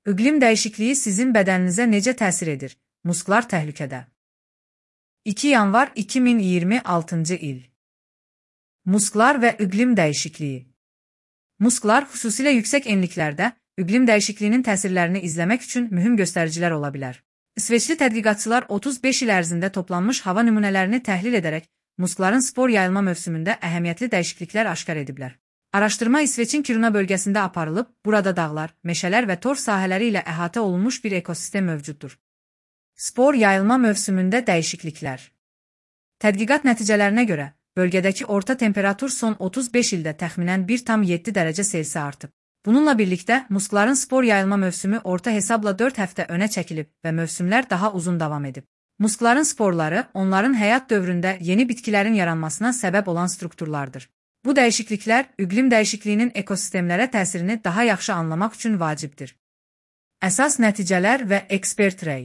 İqlim dəyişikliyi sizin bədəninizə necə təsir edir? Musklar təhlükədə. 2 yanvar 2026 il. Musklar və iqlim dəyişikliyi. Musklar xüsusilə yüksək enliklərdə iqlim dəyişikliyinin təsirlərini izləmək üçün mühüm göstəricilər ola bilər. İsveçli tədqiqatçılar 35 il ərzində toplanmış hava nümunələrini təhlil edərək muskların spor yayılma mövsümündə əhəmiyyətli dəyişikliklər aşkar ediblər. Araşdırma İsveçin Kiruna bölgəsində aparılıb, burada dağlar, meşələr və torf sahələri ilə əhatə olunmuş bir ekosistem mövcuddur. Spor yayılma mövsümündə dəyişikliklər. Tədqiqat nəticələrinə görə, bölgədəki orta temperatur son 35 ildə təxminən 1,7 dərəcə Selsi artıb. Bununla birlikdə, muskların spor yayılma mövsümü orta hesabla 4 həftə önə çəkilib və mövsümlər daha uzun davam edib. Muskların sporları, onların həyat dövründə yeni bitkilərin yaranmasına səbəb olan strukturlardır. Bu dəyişikliklər iqlim dəyişikliyinin ekosistemlərə təsirini daha yaxşı anlamaq üçün vacibdir. Əsas nəticələr və ekspert rəy.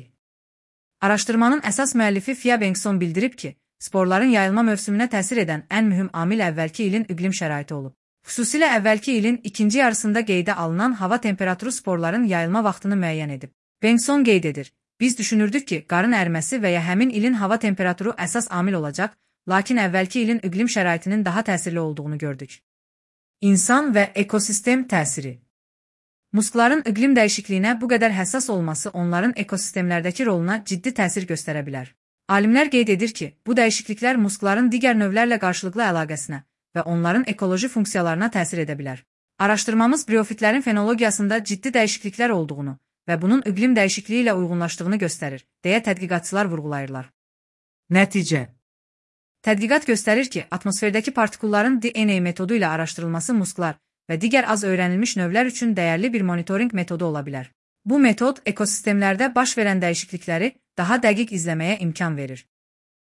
Araşdırmanın əsas müəllifi Fia Bengtson bildirib ki, sporların yayılma mövsümünə təsir edən ən mühüm amil əvvəlki ilin iqlim şəraiti olub. Xüsusilə əvvəlki ilin ikinci yarısında qeydə alınan hava temperaturu sporların yayılma vaxtını müəyyən edib. Bengtson qeyd edir, biz düşünürdük ki, qarın əriməsi və ya həmin ilin hava temperaturu əsas amil olacaq, lakin əvvəlki ilin iqlim şəraitinin daha təsirli olduğunu gördük. İnsan və ekosistem təsiri. Muskların iqlim dəyişikliyinə bu qədər həssas olması onların ekosistemlərdəki roluna ciddi təsir göstərə bilər. Alimlər qeyd edir ki, bu dəyişikliklər muskların digər növlərlə qarşılıqlı əlaqəsinə və onların ekoloji funksiyalarına təsir edə bilər. Araşdırmamız briofitlərin fenologiyasında ciddi dəyişikliklər olduğunu və bunun iqlim dəyişikliyi ilə uyğunlaşdığını göstərir, deyə tədqiqatçılar vurğulayırlar. Nəticə. Tədqiqat göstərir ki, atmosferdəki partikulların DNA metodu ilə araşdırılması musklar və digər az öyrənilmiş növlər üçün dəyərli bir monitorinq metodu ola bilər. Bu metod ekosistemlərdə baş verən dəyişiklikləri daha dəqiq izləməyə imkan verir.